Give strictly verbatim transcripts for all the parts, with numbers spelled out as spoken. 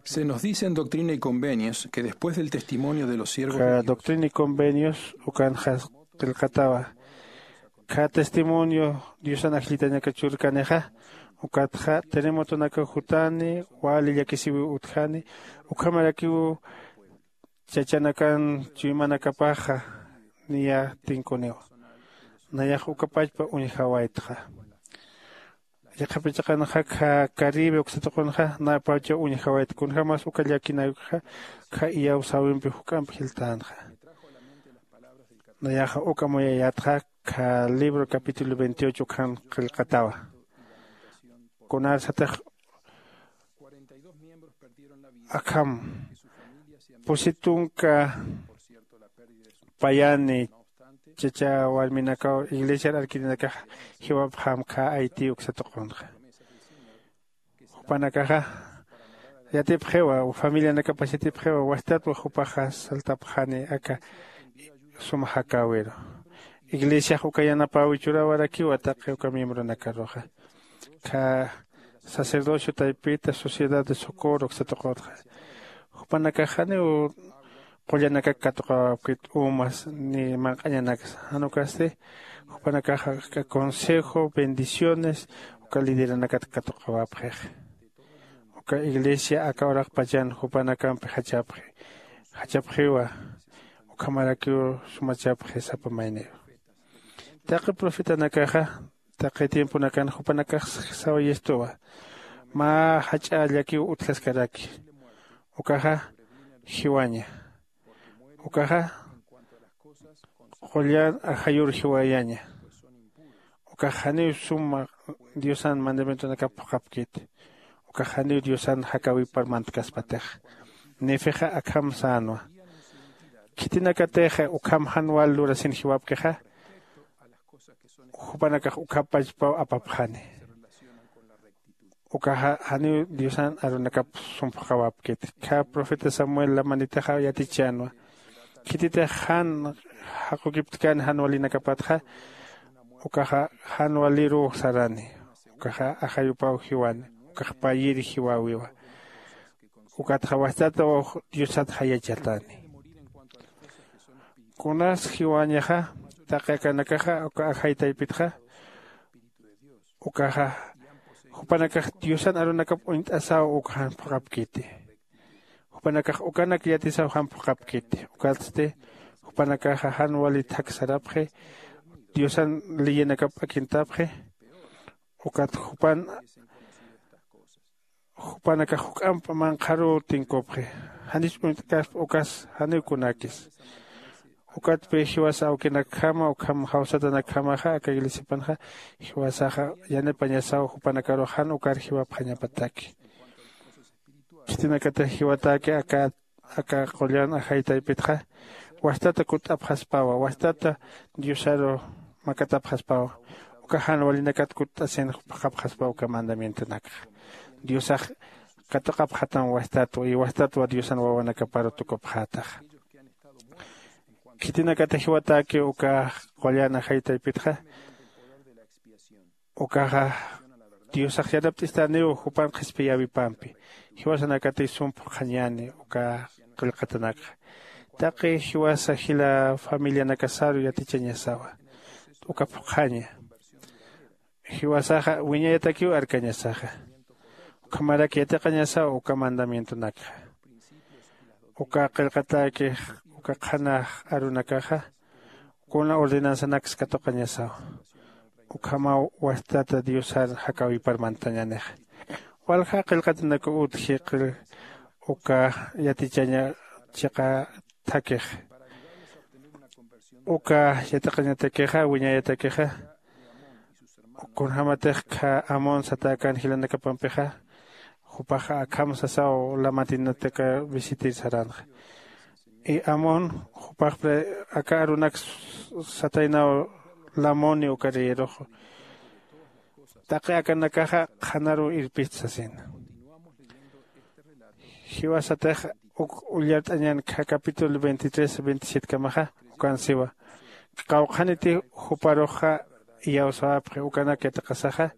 Se nos dice en Doctrina y Convenios que después del testimonio de los siervos de Dios, Doctrina y Convenios ukanxa qillqatawa, kha testimonio Diosan ajllitañaka churkanixa, ukatxa terremotonaka jutani, wali llakisiwi utjani, ukhamarakiw chachanakan chuymanakapaxa niya tinkuniwa. Nayax ukapachpa uñjawaytxa. Yaqhapichaqanxa kha Caribe uksatuqunxa napacha uñjawayta, kunjämas uka llakinakxa kha iyawsäwimpi juk'amp jiltänxa. Nayaxa uka amuyayätxa kha libro capítulo veintiocho ukhan qillqatawa. Kunarsatix akham pusi tunka payani chacha warminakaw iglesiar arkirinakax jiwapxam kha Haití uksatuqunxa. Jupanakaxa yatipxiwa, familianakapas yatipxiwa, wastatwa jupaxa saltapxani aka sum jakäwiru. Iglesiax uka yanapäwi churäwarakiwa taqi uka miembronakaruxa. Kha sacerdocio taypita, sociedad de socorro uksatuqutxa, jupanakax janiw qullanakak katuqawapkit, umas ni manq'añanaksa, jan ukasti jupanakaxa consejo, bendiciones uka lideranakat katuqawapxix. Uka iglesia aka uraqpachan jupanakampi jachapxi, jachapxiwa, ukhamarakiw sumachapxi sapa mayniru. Taqi profetanakaxa taqi tiemponakan jupanakax sawayistuwa, mä jach'a llakiw utjaskaraki. Ukaxa jiwaña. Ukaxa qullan ajayur jiwayaña. Ukax janiw suma Diosan mandamientonakap phuqhapkiti. Ukax janiw Diosan jakäwipar mantkaspatix. Nefixa akham sänwa. Khitinakatixa ukham jan wal lurasin jiwapkixa, jupanakax ukhapachpaw apapxani. Ukaxa janiw Diosan arunakap sum phuqhawapkiti. Kha profeta Samuel Lamanitaxa yatichänwa. Khititix jan jaqukiptkan jan walinakapatxa, ukaxa jan waliruw sarani. Ukaxa ajayupaw jiwani. Ukax payir jiwäwiwa. Ukatxa wastataw Diosat jayachatani. Kunas jiwañaxa, taqi akanakaxa uka ajay taypitxa, ukaxa jupanakax Diosan arunakap uñt'asaw uka jan phuqhapkiti. Jupanakax ukanak yatisaw jan phuqhapkiti. Ukatsti jupanakaxa jan wali thak sarapxi, Diosan leyinakap akintapxi. Ukat jupan jupanakax juk'amp manqharuw tinkupxi. Janis uñt'kaspa ukas janiw kunakis. Ukatpi jiwas awkinakjama ukham jawsatanakjamaxa aka iglesiapanxa jiwasaxa yanipañasaw jupanakarux jan ukar jiwapxañapataki. Khitinakatix jiwatäki aka aka qullan ajay taypitxa, wastata kutt'apxaspawa, wastata Diosaru makatapxaspawa. Uka jan walinakat kutt'asin phuqhapxaspaw uka mandamientonakxa. Diosax katuqapxatam wastatwa, y wastatwa Diosan wawanakaparu tukupxätaxa. Khitinakatix jiwatäki uka qullan ajay taypitxa, ukaxa Diosax yanapt'istaniw jupan qhispiyäwipampi. Jiwasanakatix sum phuqhañäni uka qillqatanakxa. Taqi jiwasa jila familianakasaru yatichañasawa. Uka phuqhaña. Jiwasaxa wiñayatakiw arkañasaxa. Ukhamarak yatiqañasaw uka mandamientonakxa. Uka qillqatäkix, uka qhanax arunakaxa, kuna ordenanzanaks katuqañasaw. Ukhamaw wastata Diosar jakäwipar mantañänixa. Walja qillqatanaku utji qil uka yatichaña chiqa thakix. Uka yatiqañatakixa, wiñayatakixa, kunjämatix kha Amón satäkän jilanakapampixa, jupaxa akham sasaw lamantinataka visitir saränxa. Y Amón, jupax aka arunak sataynaw Lamoni uka reyerux. Taqi akanakaxa qhanaruw irpist sasina. Jiwasatix uk ullart'añän kha capítulo veintitrés, veintisiete kamaxa, ukan siwa. Qawqhaniti juparuxa iyawsäwapxi ukanak yatiqasaxa,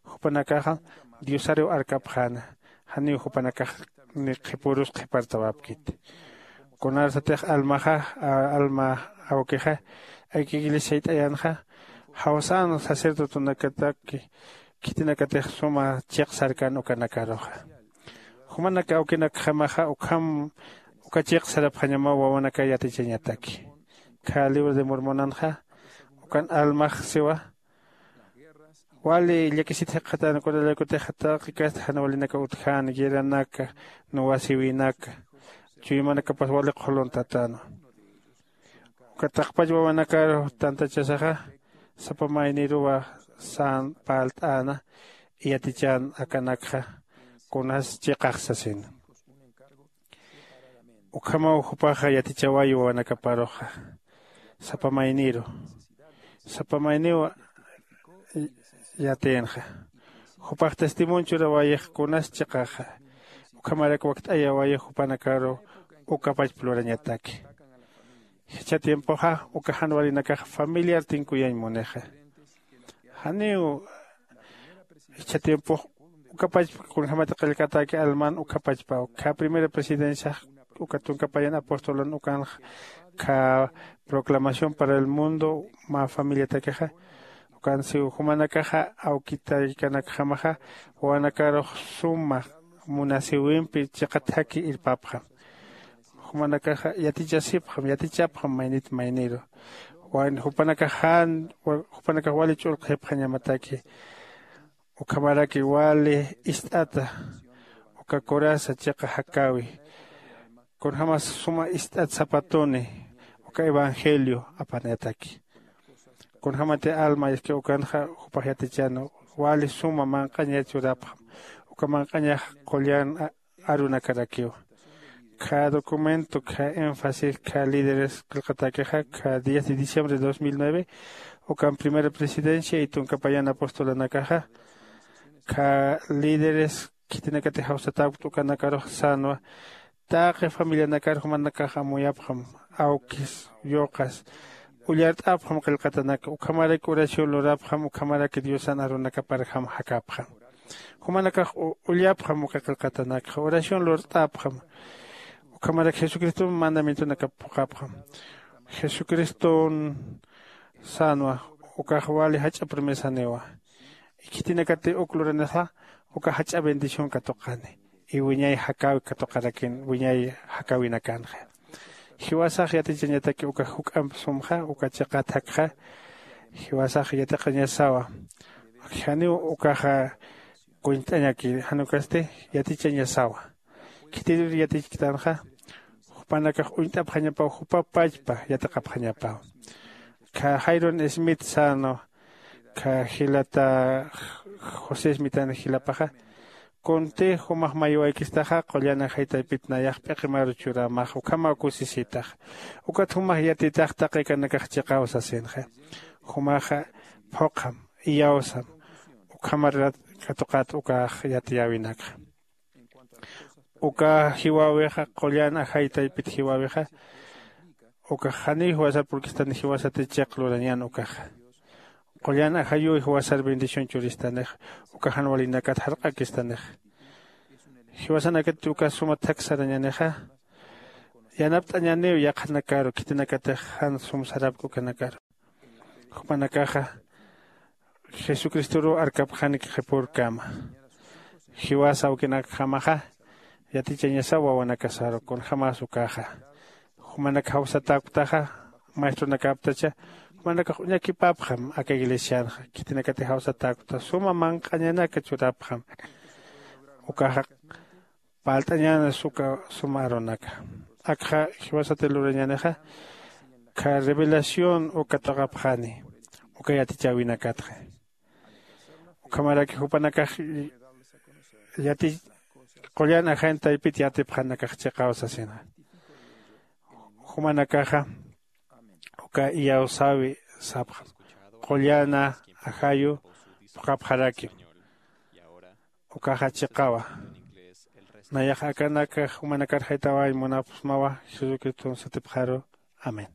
jupanakaxa Diosariw arkapxäna. janiw jupanakax ni qhipürus qhipartawapkiti. Kunarsatix almaxa, alma awkixa aka iglesiayt'ayanxa jawsan sacerdotonakataki khitinakatix suma chiqsarkan ukanakaruxa. Jumanak awkinakjamaxa ukham uka chiqsarapxañamaw wawanaka yatichañataki. Kha libro de mormonanxa ukan almax siwa wali llakisit jikxatan kunalaykutix taqi kasta jan walinaka utjan guerranaka nuwasiwinaka chuymanakapas wali qhuluntatanwa. Uka taqpach wawanakaru tantachasaxa sapa mayniruwa san parlt'äna. Yatichan akanakxa kunas chiqax sasina. Ukhamaw jupaxa yatichawayi wawanakaparuxa sapa mayniru sapa mayniw yatïnxa. Jupax testimonio churawayix kunas chiqaxa ukhamarak wakt'ayawayix jupanakaru ukapachpa lurañataki. Jichha tiempoxa uka jan walinakax familiar tinkuyañ munixa. Janiw jichha tiempox ukapachpa kunjämati qillqatäki alman ukhapachpaw kha primera presidenciax uka tunka payan apostolan ukanxa kha proclamación para el mundo mä familiatakixa ukan siw jumanakaxa awkitaykanakjamaxa wawanakarux suma munasiwimpi chiqa thaki irpapxam. Jumanakaxa yatichasipxam yatichapxam maynit mayniru. Jupanakax jan jupanakax wali ch'ulqhipxañamataki ukhamaraki wali ist'ata uka coraza chiqa jakäwi kunjämas suma ist'at sapatuni uka evangelio apanayataki. Kunjämati alma iski ukanxa jupax yatichäna wali suma manq'aña churapxam. Uka manq'añax qullan arunakarakiwa. Kha documento kha énfasis kha líderes qillqatäkixa kha diez de diciembre de dos mil nueve ukan primera presidencia y tunka payan apostolanakaxa kha líderes khitinakatix jawsatäkta ukanakarux sänwa. Taqi familianakar jumanakax amuyapxam awkis yuqas ullart'apxam qillqatanak ukhamarak oración lurapxam ukhamaraki diosan arunakaparjam jakapxam. Jumanakax ullapxam uka qillqatanakxa oración lurt'apxam. Ukhamarak jesucriston mandamientonakap phuqhapxam. Jesucriston sänwa ukax wali jach'a promesaniwa. Khitinakati uk luranasa uka jach'a bendición katuqani y wiñay jakäwi katuqarakin wiñay jakäwinakanxa. Jiwasax yatichañataki uka juk'amp sumxa uka chiqat jakxa. Jiwasax yatiqañasawa janiw ukaxa kuñt'añaki jan ukasti yatichañasawa. Khitir yatichktanxa jupanakax uñt'apxañapaw jupa pachpa yatiqapxañapaw. Kha jairon smith sano kha jilata josé smithan jilapaxa kunti jumax maywaykistaxa qullan ajay taypit nayax p'iqimaru churamax ukhamaw kusisitax. Ukat jumax yatitax taqikanakax chiqaw sasinxa jumaxa phuqham iyawsam ukhamarat katuqat ukax yatiyäwinakxa. Uka jiwäwixa qullan ajay taypit jiwäwixa ukax janiw jiwasar purkistani jiwasati chiq lurañän ukaxa. Qullan ajayuw jiwasar bendición churistanix uka jan walinakat jarq'akistanixa. Jiwasanakati uka suma thak sarañanixa yanapt'añaniw yaqhanakaru khitinakatix jan sum sarapki ukanakaru. Jupanakaxa jesucristoruw arkapxanik qhipürkama. Jiwasa awkinakjamaxa yatichañasaw wawanakasaru kunjämas ukaxa. Jumanak jawsatäktaxa maestronakaptacha jumanakax uñakipapxam aka iglesianxa khitinakatix jawsatäkta suma manq'añanaka churapxam. Ukaxa parlt'añäna suka suma arunaka. Akxa jiwasati lurañänixa kha revelación uka tuqapxani uka yatichäwinakatxa. Ukhamaraki jupanakax yati qullan ajañ taypit yatipxanakax chiqaw sasina. Jumanakaxa uka iyawsäwi sapxam qullana ajayu phuqhapxarakim. Ukaxa chiqawa. Nayax akanaka jumanakar jaytawañ munapxsmawa jesucriston satipxaru. Amén.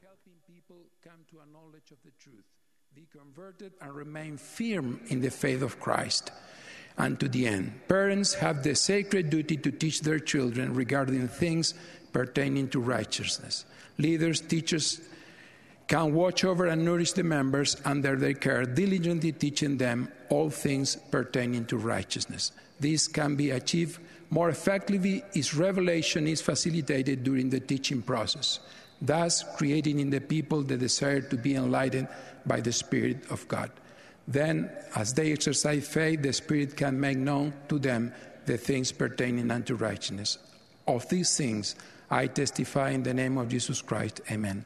Helping people come to a knowledge of the truth, be converted and remain firm in the faith of Christ. and to the end. Parents have the sacred duty to teach their children regarding things pertaining to righteousness. Leaders, teachers, can watch over and nourish the members under their care, diligently teaching them all things pertaining to righteousness. This can be achieved more effectively if revelation is facilitated during the teaching process, thus creating in the people the desire to be enlightened by the Spirit of God. Then, as they exercise faith, the Spirit can make known to them the things pertaining unto righteousness. Of these things I testify in the name of Jesus Christ. Amen.